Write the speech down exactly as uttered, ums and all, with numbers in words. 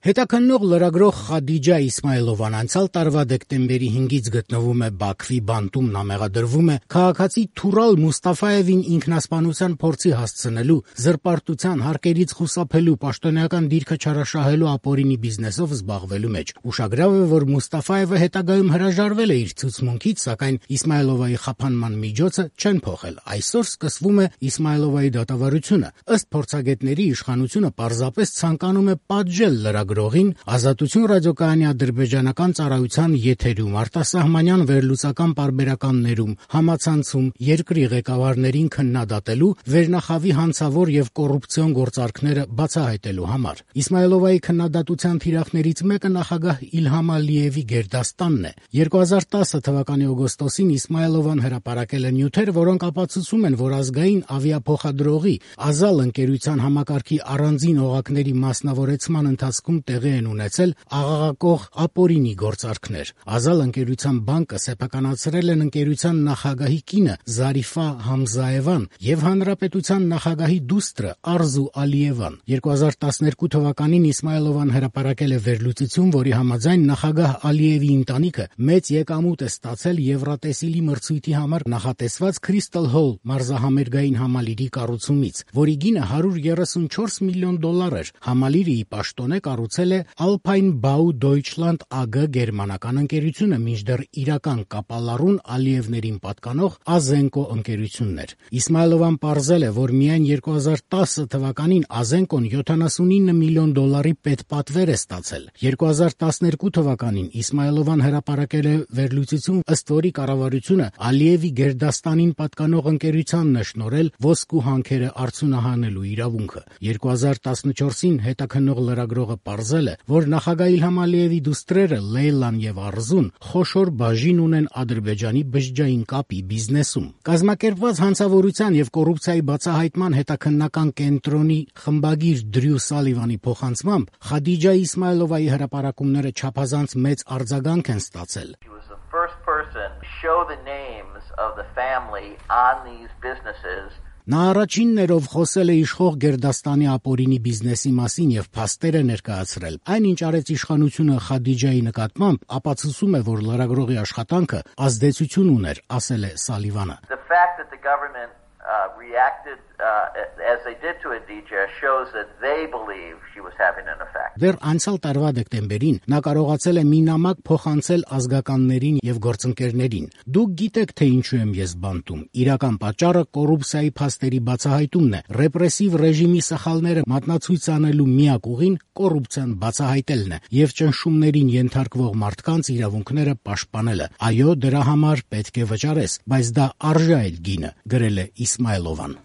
Հետաքննող լրագրող Խադիջա Իսմայլովան անցյալ տարվա դեկտեմբերի հինգից գտնվում է Բաքվի բանտում, նա մեղադրվում է քաղաքացի Թուրալ Մուստաֆայևին ինքնասպանության փորձի հասցնելու, զրպարտության, հարկերից խուսափելու, պաշտոնեական դիրքը չարաշահելու ապօրինի բիզնեսով զբաղվելու մեջ։ Ուշագրավ է, որ Մուստաֆայևը հետագայում հրաժարվել է իր ցուցմունքից, սակայն Իսմայլովայի խափանման միջոցը չեն փոխել։ Այսօր սկսվում է Իսմայլովայի դատավարությունը։ Ըստ փորձագետների, իշխանությունը պարզապես ցանկանում է պատժել լրագրողին, Ազատություն ռադիոկայանի ադրբեջանական ծառայության եթերում, արտասահմանյան վերլուծական պարբերականներում, համացանցում երկրի ղեկավարներին քննադատելու, վերնախավի հանցավոր եւ կոռուպցիոն գործարքները բացահայտելու համար։ Իսմայլովայի քննադատության թիրախներից մեկը նախագահ Իլհամ Ալիևի գերդաստանն է։ երկու հազար տասը թվականի օգոստոսին Իսմայլովան հրապարակել է նյութեր, որոնք ապացուցում են, որ ազգային ավիափոխադրողի Ազալ ընկերության համակարգի առանձին օղակների մասնավորեցման ընթացքում տեղի են ունեցել աղաղակող ապօրինի գործարքներ։ Ազալ ընկերության բանկը սեփականացրել են ընկերության նախագահի կինը Զարիֆա Համզաևան եւ հանրապետության նախագահի դուստրը Արզու Ալիևան։ երկու հազար տասներկու թվականին Իսմայլովան հրապարակել է վերլուծություն, որի համաձայն նախագահ Ալիևի ընտանիքը մեծ եկամուտ է ստացել Եվրատեսիլի մրցույթի համար նախատեսված Crystal Hall մարզահամերգային համալիրի կառուցումից, որի գինը հարյուր երեսունչորս միլիոն դոլար էր։ Համալիրը ի պաշտոնե կառուցել է Alpine Bau Deutschland A G գերմանական ընկերությունը, մինչդեռ իրական կապալառուն Ալիևներին պատկանող Ազենկո ընկերությունն էր։ Իսմայլովան պարզել է, որ միայն երկու հազար տասը թվականին Ազենկոն յոթանասունինը միլիոն դոլարի պետպատվեր է ստացել։ երկու հազար տասներկու թվականին Իսմայլովան հրապարակել է վերլուծություն, ըստ որի կառավարությունը Ալիևի գերդաստանին պատկանող ընկերությանն է շնորհել ոսկու հանքերը արդյունահանելու իրավունքը։ երկու հազար տասնչորսին հետաքննող լրագրողը պարզել է, որ նախագահ Իլհամ Ալիևի դուստրերը Լեյլան եւ Արզուն խոշոր բաժին ունեն Ադրբեջանի բջջային կապի բիզնեսում։ Կազմակերպված հանցավորության եւ կոռուպցիայի բացահայտման հետաքննական կենտրոնի խմբագիր Դրյու Սալիվանի փոխանցմամբ Խադիջա Իսմայլովայի հրապարակումները չափազանց մեծ արձագանք են ստացել։ Նա առաջինն էր, ով խոսել է իշխող գերդաստանի ապօրինի բիզնեսի մասին եւ փաստեր է ներկայացրել։ Այն, ինչ արեց իշխանությունը Խադիջայի նկատմամբ, ապացուցում է, որ լրագրողի աշխատանքը ազդեցություն ուներ, ասել է Սալիվանը։ Uh, reacted uh, as they did to Adija shows that they believe she was having an effect. Դեռ անցյալ տարվա դեկտեմբերին նա կարողացել է մի նամակ փոխանցել ազգականներին եւ գործընկերներին։ Դուք գիտեք, թե ինչու եմ ես բանտում։ Իրական պատճառը կոռուպցիայի փաստերի բացահայտումն է։ Ռեպրեսիվ ռեժիմի սխալները մատնացույց անելու միակ ուղին կոռուպցիան բացահայտելն է եւ ճնշումներին ենթարկվող մարդկանց իրավունքները պաշտպանելը։ Այո, դրա համար պետք է վճարես, բայց դա արժե այդ գինը, գրել է Իսմայլովան։